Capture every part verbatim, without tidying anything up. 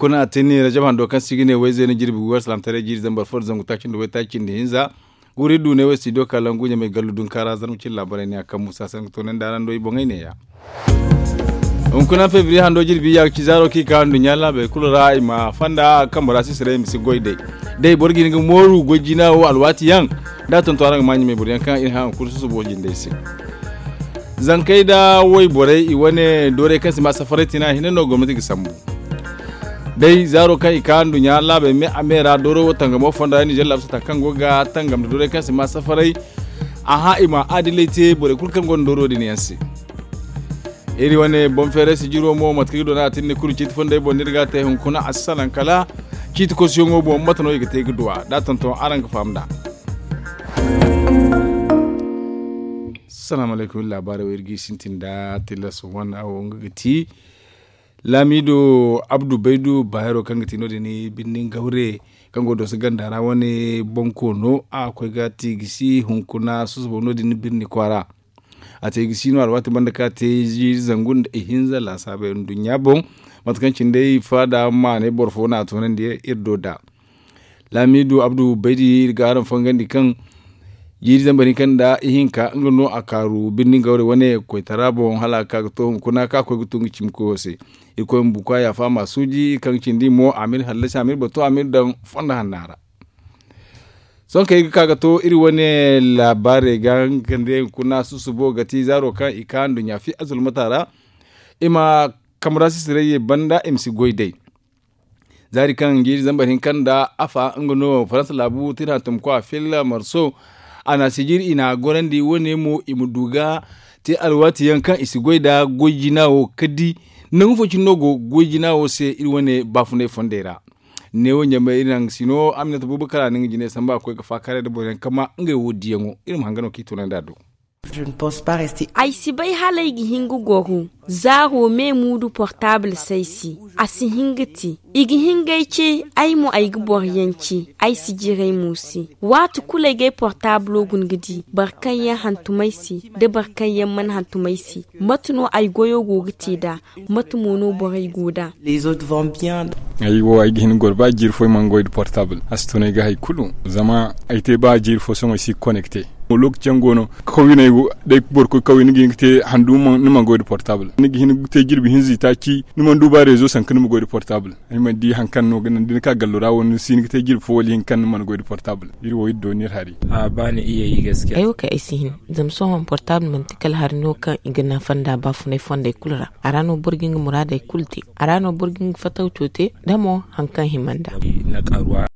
Kuna a tinni rajab hando kaŋ se i ga ne wayzeeno jirbi gu war salaamtaray jiiri zambar fo nda zangu taaci nda waytaaci nda hinza. Guri du ne wo studio kalangu ɲamay gallu dunkaara zarma cine laabaray ne a kaŋ musa sanka toonandi araŋ do i boŋey neeya. Hunkuna febriye hando jirbi ya ga ci zaaro kaŋ i ka nduɲɲa laabey kulu ra i ma fanda kambe ra sisirey i ma si goy day. Day boro ga hin ga mooru goy jiina wo alwaati yaŋ da a tonton araŋ ga ma ɲamay boro yaŋ kaŋ iri haŋ kulu susubo jindey se. Zankey nda wayborey i wane doorey kaŋ si ma safaray tina hinne no gomnati ga sambu. Day zaaro kaŋ i ka nduɲɲa laabey me a me ra dooro wo tangamo fonda ra ninzeer laabu sata kaŋ go ga tangam nda doorey kaŋ si ma safaray. Aha i ma adilay te borey kulu kaŋ gonda dooro din yaŋ se. Iri wane boŋ feeray sijiro mo mate kaŋ i ga doona a tinni kulu ciiti fonday boŋ no iri ga a te hunkuna a si salaŋ kala ciiti kosuyaŋo boŋ mate no i ga te ga duwa da a tonton araŋ ga faham nd'a. Salaamu alaykum iri laabaarey wo iri g'i sintin nda tilas wane wo nga ga ti laamiido abdu baydu baayaro kaŋ ga ti no- din birni gawre kaŋ go dooso ganda ra wane boŋ koono a ga koy ga ti gisi hunkuna susubo no- din birni kwaara. A te gisi no alwaati banda kaŋ a te ziiri zangu nda ihinza laasaabey nduɲɲa boŋ mate kaŋ cine day faada maanay boro fo no a toonandi iri do nd'a. Laamiidu abdu baydi iri ga araŋ fangandi kaŋ jiiri zambar hinka nda ihinka nga no a kaaru birni gawre wane koytara boŋ hala a ga ka ga to hunkuna kaŋ a koy ga tun ga cimi koyo se. Iri koy ma bukwa yaafa ma a suuji kaŋ cindi mo a ma iri hallasi a ma iri batu a ma iri daŋ fondo hanna ra. Sohõ kaŋ ay ga ka ga to iri wane laabaarey ga nga kande hunkuna susubo ga ti zaaro kaŋ i ka nduɲɲa fi azulmata ra. I ma kamara sisirey ye banda i ma si goy day. Zaari kaŋ jiiri zambar hinka nda afa nga no faransa laabu tira hantumkwa filla marso. A na sijiri i na a gorandi wane mo i ma du ga te alwaati yaŋ kaŋ i si goy nda goy jina wo ka di nangu fo cine no go goy jina wo se iri wane baafunay fondey ra. Neewo ɲamay iri naŋ sino aminata buubu kala a na nga jine samba a koy ga faakaaray nda boro yaŋ kama ngey wo diyaŋo iri ma hanga no kaŋ i tunandi a do. Ay si bay hala ay ga hin ga goro zaaro me muudu portaabul se ay se. A si hin ga te i ga hin ga ay ce. Ay mo ay ga boro yaŋ ce ay si jiray mo se. Waati kulu ay ga ay portaabulo guna ga di boro kaŋ yaŋ hantum ay se nda boro kaŋ yaŋ mana hantum ay se. Mate no ay goyo go ga te nd'a? Mate mo no borey go nd'a? Ay wo ay ga hin ga goro ba jiiri fo ay mana goy nda portaabul a si tun ay ga hari kulu. Zama ay te ba jiiri fo sohõ ay si ga konekte. Lookaci yaŋ go no kawye no ay go da ay boro koy kawye ni ga hin ga te handu ni mana goy nda portaabul ni ga hin ga te jirbi hinza itaaci ni mana du ba reezo sanka ni ma goy nda portaabul. Ay mana di hari kaŋ no ga naŋ da ni ka gallo ra wo ni si hin ga te jirbi fo wala ihinka kaŋ ni mana goy nda portaabul. Iri wo iri dooni iri hari. Ay wo kay ay si hin. Zama sohõ portaabul manti kala hari no kaŋ i ga nafa nd'a baafunay fondey kulu ra. A ra no boro ga nga muraadey kulu te. A ra no boro ga nga fatawco te da mo hari kaŋ hima nd'a.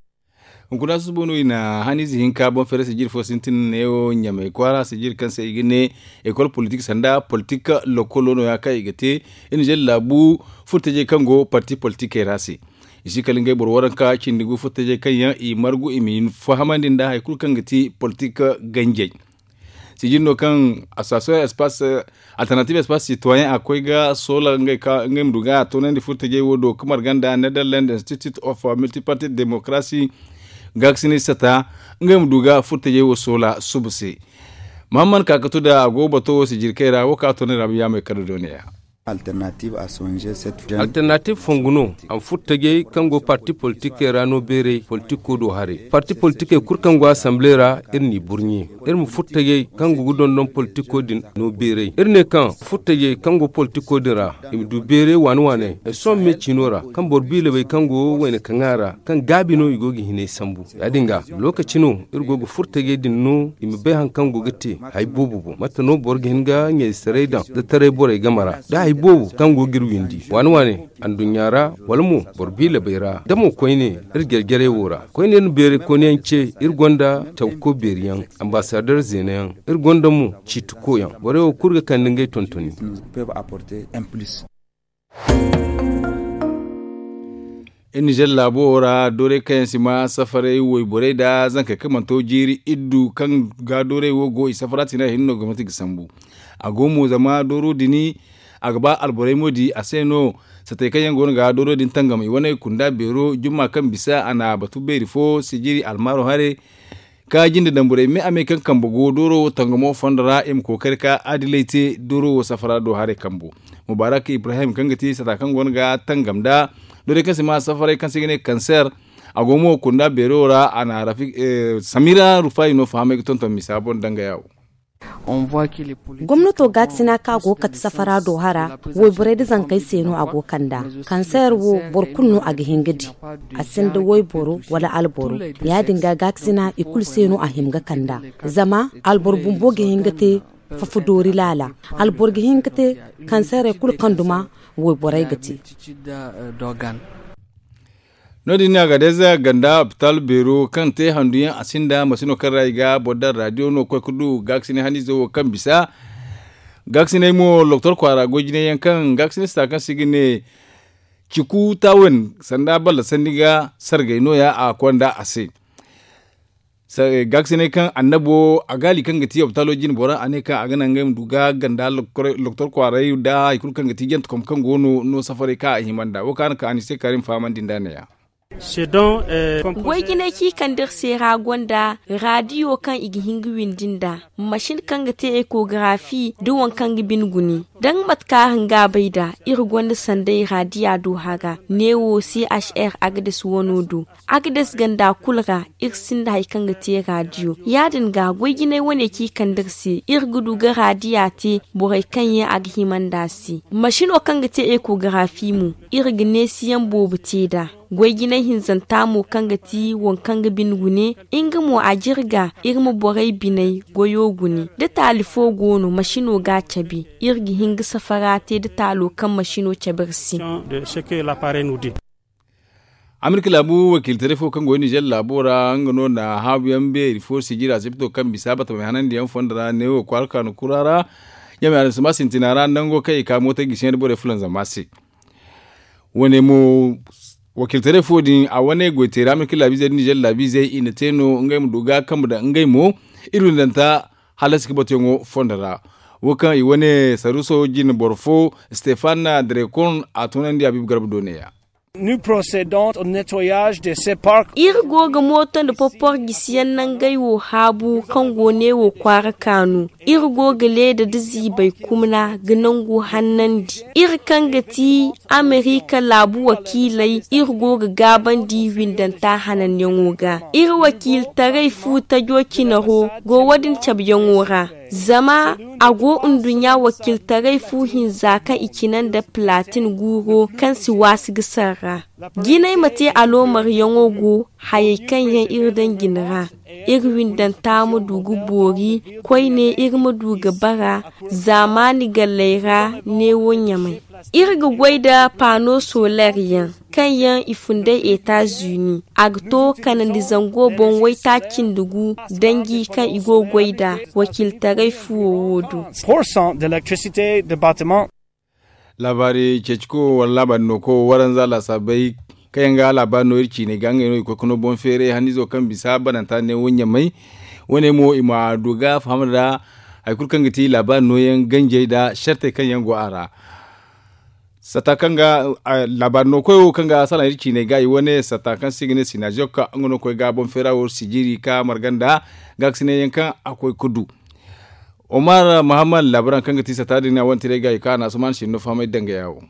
Hunkuna susubo no i na haniize hinka boŋ feeray sijir fo sintin neewo ɲamay kwaara sijir kaŋ se i ga ne ekol politik sanda politik lokolo no- ya kaŋ i ga te. Iri na zelle laabu furtajey kaŋ go parti politikey ra se. I si kala ngey boro waranka cindi gu furtajey kaŋ yaŋ i margu i ma fahamandi nda hari kulu kaŋ ga ti politik ganjey. Sijiri no kaŋ association espace alternative espace citoyen a koy ga soola ngey ma du ga a toonandi furtajey wo do ga marga nda netherland institute of multiparty democracy gaakasini sata ngey ma du ga furtajey wo soola suba se. Mahamman ka ga to da a go bato wo sijiri kay ra wo kaŋ a toonandi ra ma yaamay kala dooniya. Alternative fongu no a ma furo tajey kaŋ go parti politikey ra no beeray politiko do haray. Parti politikey kulu kaŋ go asamble ra iri n'i burɲe. Iri ma furo tajey kaŋ go ga dondon politiko din no beeray iri ne kaŋ furo tajey kaŋ go politiko din ra i ma du beeray waane waane. Sohõ me ciino ra kaŋ boro biilabey kaŋ go wayna kaŋa ra kaŋ gaabi no i go ga hinay sambu. Ya- din ga lookaci no iri go ga furo tajey din no i ma bay hari kaŋ go ga te hari boobo boŋ mate no boro ga hin ga ɲaysaray daŋ da taray borey game ra da hari boobo kaŋ go ga iri windi waane waane anduɲɲa ra wala mo boro biilabey ra da mo koyne iri jare-jarey wo ra koyne iri na beeray koyne yaŋ ce iri gonda cawko beeri yaŋ ambaasader zeena yaŋ iri gonda mo ciitiko yaŋ borey wo kulu ga kande ngey tontoni. Iri nizer laabo wo ra doorey kaŋ yaŋ si ma safaray wayborey nda zankey kaŋ mana to jiiri iddu kaŋ ga doorey wo go i safara tina hinne no gomnati ga sambu. A go mo zama dooro din a ga ba alborey mo di a se no. Satey kaŋ yaŋ go no ga dooro din tangam i wane kunda beero jumma kaŋ bisa a na batu beeri fo sijiri almaaro haray ka jinde daŋ borey me a me kaŋ kambe go dooro wo tangamo fondo ra i ma kookari ka adilay te dooro wo safara do haray kambo. Mubarak ibrahim kaŋ ga ti sata kaŋ go no ga tangam nda Doorey kaŋ se ma safaray kaŋ se i ga ne kanseer. A go mo kunda beero ra a na samira rufayi no fahamay ga tonton misa boŋ danga yaawo. Gomnato gaakasina kaŋ a go ga kate safara do hara, wayborey nda zankey se no a go ga kand'a. Kanseer wo boro kulu no a ga hin ga di. A sinda wayboro wala alboro. Ya- din ga gaakasina i kulu se no a hima ga kand'a. Zama alboro bumbo ga hin ga te fafa doori laala. Alboro ga hin ga te kanseerey kulu kaŋ duma wayborey ga te. No- din no a ga day za ganda opitaal beero kaŋ te handu yaŋ a sinda masino kaŋ ra i ga boro daŋ raadiyo no ga koy ga du gaakasinay haniizo wo kaŋ bisa. Gaakasinay mo loktor kwaara goy jinay yaŋ kaŋ gaakasinay sita kaŋ se i ga ne ciku taawen sanda balla sanni ga sargay no- ya a konda a se. Gaakasinay kaŋ annabo a gaali kaŋ ga ti opitaalo jine bora a ne kaŋ a ga naŋ ngey ma du ga ganda loktor kwaaray nda hari kulu kaŋ ga ti jantekom kaŋ go no no safaray kaŋ a hima nd'a wo kaŋ a na ka a ni se kaari ma fahamandi nd'a ne- ya. Goy jinay kaŋ i kande iri se ra gonda raadiyo kaŋ i ga hin ga windi nd'a, masin kaŋ ga te ekogarafi nda waŋ kaŋ ga bine gune. Da nga mate kaŋ araŋ ga a bay nd'a, iri gonda sanday raadiya do hara neewo c h r agades wano do. Agades ganda kulu ra iri sinda hari kaŋ ga te raadiyo. Ya- din ga goy jinay wane kaŋ i kande iri se iri ga du ga raadiya te borey kaŋ yaŋ a ga hima nd'a se. Masino kaŋ ga te ekogarafi mo, iri ga neesiyaŋ boobo te nd'a. Goy jinay hinzanta mo kaŋ ga ti waŋ kaŋ ga bine gune, nga mo a jirga iri ma borey biney goyo gune. Da taali fo go no masino ga a cabe, iri ga hin ga safara te da taalo kaŋ masino cabe iri se. Amerika laabu wakiilitaray fo kaŋ go nizer laabo ra nga no na haabu yaŋ beeri fo sijira sipito kaŋ bisa batamay hanandi yaŋ fondo ra neewo kwaara kaanu kura ra. Yame adamsama sintina ra nango kaŋ i ka mootey gisi yaŋ da borey fulanzama se. Wane mo wakiilitaray fo din a wane goyteera amerika laabiizey da nizer laabiizey i na te no ngey ma du ga kambe daŋ ngey mo iri windanta halasi ga batuyaŋo fondo ra. Wo kaŋ i wane saruso jine boro fo stefan drekon a tunandi a biibi garba do ne- ya. Iri go ga mooto nda popor gisiyaŋ nangey wo haabu kaŋ go neewo kwaara kaanu. Iri go ga leeda nda ziibay kumna ga nangu hannandi. Iri kaŋ ga ti amerika laabu wakiiley iri go ga gaabandi windanta hananyaŋo ga. Iri wakiiltaray fu tajo cinaro go wo- din cabeyaŋo ra. Zama a go nduɲɲa wakiiltaray fu hinza kaŋ i cina nda platin guuro kaŋ si waasi ga sarra. Jinay ma te aloomaryaŋo go hayey kaŋ yaŋ iri daŋ jine ra. Iri windanta ma du ga boori koyne iri ma du ga bara zaamaani galley ra neewo ɲamay. Iri ga goy nda paano soleer yaŋ kaŋ yaŋ i funday etazuni a ga to kanandi zango boŋ waytaaci nda gu danji kaŋ i go ga goy nd'a wakiiltaray fuwo wo do. Laabaari ceeciko wala laabaari nooko waranza laasaabey kaŋ yaŋ ga laabaari no iri ciiney ga ngey no i koy ga no boŋ feeray haniizo kaŋ bisa bananta ne wo ɲamay. Wane mo i ma du ga faham nda hari kulu kaŋ ga ti laabaari nooyaŋ ganjey nda sartey kaŋ yaŋ go a ra. Satta kaŋ ga laabaari no koyo kaŋ ga salaŋ iri ciiney ga i wane satta kaŋ se i ga ne sinaaziyokka nga no koy ga boŋ feera wo sijiri ka marga nda gaakasinay yaŋ kaŋ a koy ga du. Omar mahammad laabaaraŋ kaŋ ga ti satta din a wane tiray ga i ka a na asuman sinno fahamay danga yaawo.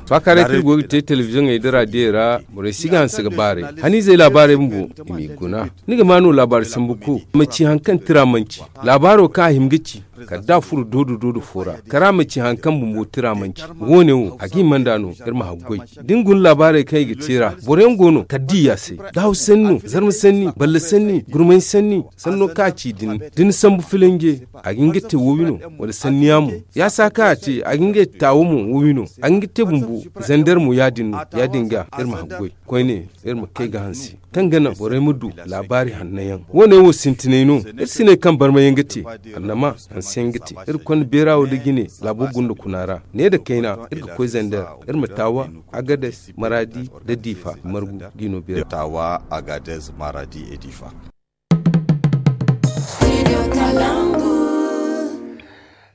Faakaaray kaŋ iri go ga te telebiziyoŋey nda raadiyey ra borey si ga hanse ga baaray. Haniizey laabaarey bumbo i m'i guna. Ni ga maa no laabaari sambu ko ma ci hari kaŋ tira manci laabaaro kaŋ a hima ga ci kala da a furo doodo doodo fo ra kara ma ci hari kaŋ bumbo tira manci. Wo- ne wo a ga hima nd'a no iri ma haggoy. Da ni guna laabaarey kaŋ i ga te ra boro yaŋ go no kala da i yaasay daawu sanni no zarma sanni balla sanni gurmay sanni sanno kaŋ a ci din da ni sambu filanje a ga hin ga te wowi no wala sanniya mo. Yaasa kaŋ a te a ga hin ga te taawo mo wowi no a ga hin ga te bumbo. Zander mo ya- din no ya- din ga iri ma haggoy koyne iri ma kay ga hanse kaŋ ga naŋ borey ma du laabaari hanno yaŋ. Wo- ne wo sintinay no iri si ne kaŋ barmay yaŋ ga te annama hanse yaŋ ga te. Iri konda beera wo da jine laabo gunda kuna ra ne nda kayna iri ga koy zander iri ma taawa agades maradi nda diifa margu d'i no beera.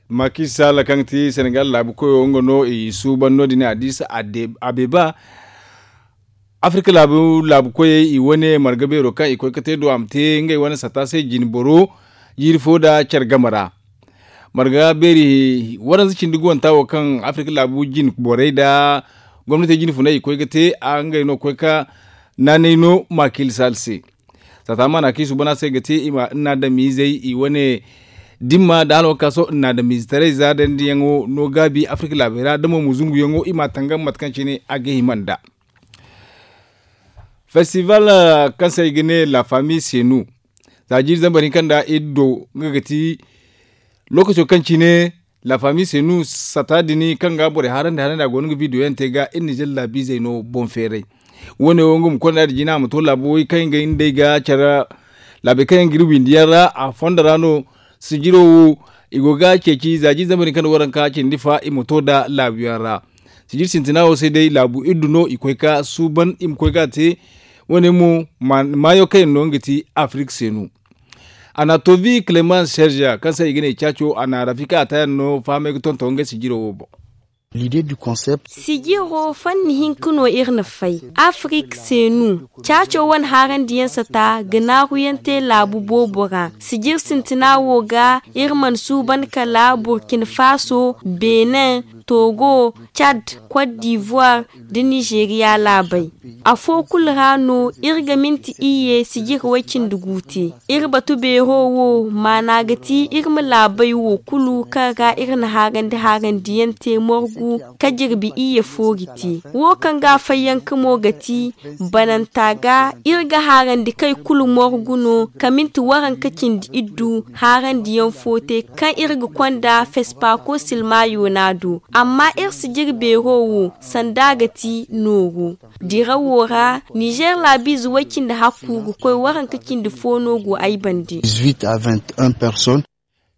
Makisala kaŋ ga ti senegal laabu koyo nga no i suuban no- din addis abeba. Afirka laabu laabu koyey i wane marga beero kaŋ i koy ga te do a ma te ngey wane satta se jine boro jiiri fo nda care game ra. Marga beeri waranza cindi guwanta wo kaŋ afirka laabu jine borey nda Gomnatey jine funay i koy ga te a ngey no koy ka naanay no maakil sal se. Saata maana kaŋ i suuban a se ga te i ma naadamiizey i wane dimma nda alwakaaso naadamiize taray za dandiyaŋo no gaabi afirka laabey ra da mo ma zunguyaŋo i m'a tangam mate kaŋ cine a ga hima nd'a. Festival kaŋ se i ga ne la famille senu za jiiri zambar hinka nda iddo nga ga ti lookaco kaŋ cine la famille senu sata din kaŋ ga borey haarandi haarandi a go no ga video yaŋ te ga iri na jalla biizey no boŋ feeray. Wo- ne wo nga ma konda da jina a ma to laabo way kaŋ ga hin day ga care laabey kaŋ yaŋ ga iri windi yaŋ ra a fondo ra no. Sijiro wo i go ga ceeci za jiiri zambar hinka nda waranka cindi fa i ma to nda laabu yaŋ ra. Sijir sintina wo se day laabu iddu no i koy ka suuban i ma koy ga te. Wo- ne mo maayo kaŋ yaŋ no nga ti afirika senu. Anatovi clemens serge kaŋ se i ga ne caaco a na rafika a taayaŋ no fahamay ga tonton ngey sijiro wo boŋ. Sijiro fanni hinka no iri na fay afirika senu. Caaco wane haarandiyaŋ sata ga naaruyaŋ te laabu boobo ra sijir sintina wo ga iri mana suuban kala burkina faso, benin, togo, cad, cote d'ivoire, da nizeeriya laabey. Afo kulu ra no iri ga minti iyye sijir way-cindi gu te. Iri batu beero wo maana ga ti iri ma laabey wo kulu kaŋ ra iri na haarandi haarandiyaŋ te morgu ka jirbi iyye foori te. Wo kaŋ ga fayyanka mo ga ti bananta ga iri ga haarandi kay kulu morgu no ka minti waranka cindi iddu haarandiyaŋ fo te kaŋ iri ga konda fespako silmayo no a do. Amma iri sijir beero wo sanda ga ti nooru dirawo ra nizer laabiize way-cindi hakku ga koy waranka cindi fo no go ay bande.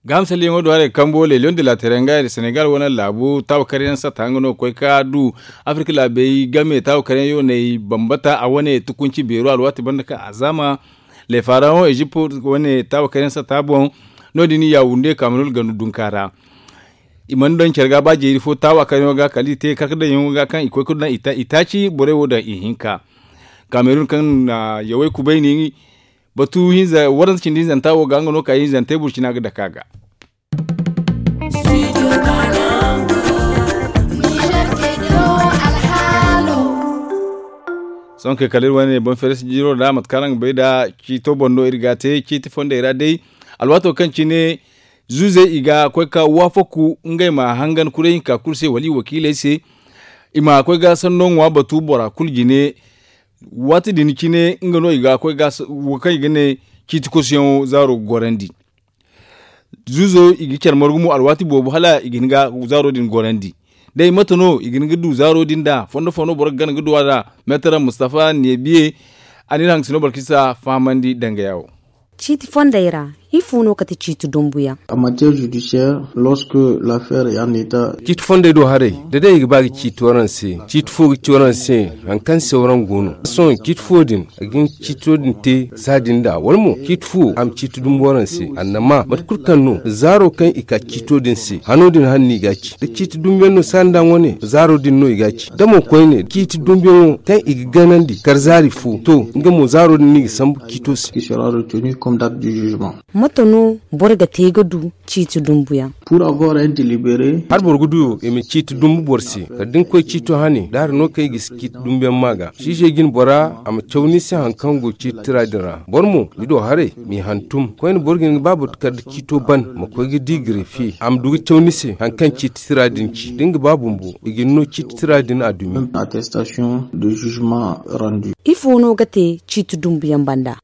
Gahamsalyaŋo do haray kambo leeliyoŋ de la teranga nda senegal wane laabu taawa karyaŋ sata nga no ga koy ka du afirka laabey game taawa karyaŋ yooney bambata a wane tukunci beero alwaati banda kaŋ a zaama lefaraŋo ezipt wane taawa karyaŋ sata boŋ. No- din yawunde kamerun gandu dunka ra i mana daŋ care ga ba jeeri fo taawa karyaŋo ga kala i te karkadaŋyaŋo ga kaŋ i koy ga daŋ itaaci borey wo daŋ ihinka kamerun kaŋ na yawey kubayni batu hinza waranza cindi hinzanta wo ga nga no ka hinzantey burcina ga dake a ga. Sohõ kay kala iri wane boŋ feere sijiro ra mate kaŋ araŋ ga bay nd'a ciito boŋ no iri ga a te ciiti fondey ra day. Alwaato kaŋ cine zuuzey i ga koy ka waafaku ngey ma hangan kuray hinka kulu se wala i wakiiley se. I ma koy ga sanno ŋwa batu bora kulu jine. Waati din cine nga no i ga koy ga wo kaŋ i ga ne ciiti kosuyaŋo zaaro ga gorandi. Zuuzo i ga care margu mo alwaati boobo hala i ga hin ga zaaro din gorandi. Day mate no i ga hin ga du zaaro din nd'a fondo fo no boro ga gana ga du a nd'a. Meetara mustafa neebiye a na iri hangasino boro kaŋ si a fahamandi dangaya wo. Ciiti fondey ra ifo no kate ciiti dumbuyaŋ? Ciiti fondey do haray da day i ga ba ga ciiti waraŋ se ciiti fo ga ci waraŋ se. Hari kaŋ se waraŋ go no sohõ ciiti fo din a ga hin ga ciito din te saadin nd'a wala mo ciiti fo a ma ciiti dumbu waraŋ se annama mate kulu kaŋ no zaaro kaŋ i ka ciito din se hano din hane no i ga a ci da ciiti dumbu yaŋ no saadin nd'a wane zaaro din no i ga a ci da mo koyne ciiti dumbu yaŋo kaŋ i ga ganandi kar zaari fo to nga mo zaaro din no i ga sambu ciito se. Mate no boro ga te ga du ciiti dumbuyaŋ? Hala boro ga du i ma ciiti dumbu boro se kala da ni koy ciito hane da hari no kaŋ i ga si ciiti dumbuyaŋ ma ga siisey jine bora a ma caw ni se hari kaŋ go ciiti tira din ra boro mo ni do haray m'i hantum koyne boro ga hin ga ba boro kala da ciito ban ma koy ga di gareefiye a ma du ga caw ni se hari kaŋ ciiti tira din ci da ni ga ba bumbo i ga ni no ciiti tira din a dumi. Ifo no ga te ciiti dumbuyaŋ banda?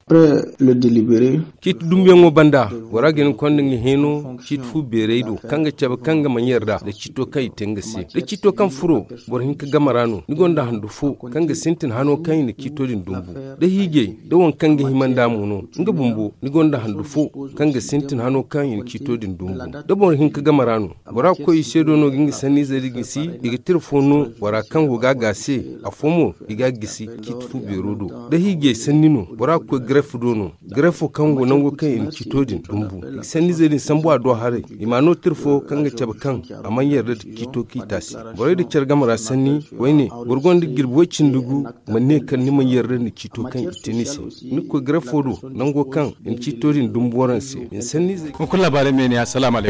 Ciiti dumbuyaŋo banda bora ga hin ga konda nga heeno ciiti fu beerey do kaŋ ga cabe kaŋ ga mana yarda nda ciito kaŋ i te nga se da ciito kaŋ furo boro hinka game ra no ni gonda handu fo kaŋ ga sintin hano kaŋ i na ciito din dumbu da hiijay da waŋ kaŋ ga hima nd'a mo no nga bumbo ni gonda handu fo kaŋ ga sintin hano kaŋ i na ciito din dumbu da boro hinka game ra no bora ga koy i se do no ga nga sanniizey din gisi i ga tira fo no bora kaŋ go ga a ga se afo mo i ga a gisi ciiti fu beero do da hiijay sanni no bora ga koy garef do no garefo kaŋ go nango kaŋ i na ciito din dumbu i ga sanniizey din sambu a do haray i ma a no tira fo kaŋ ga cabe kaŋ a mana yarda nda ciito kaŋ i te a se borey da care game ra sanni koyne boro gonda jirbi way-cindi gu ma ne kala ni mana yarda nda ciito kaŋ i te ni se ni ga koy garefo do nango kaŋ i na ciito din dumbu waraŋ se i na sanniizey. Hunkuna laabaarey me ne assalaamu alaykum.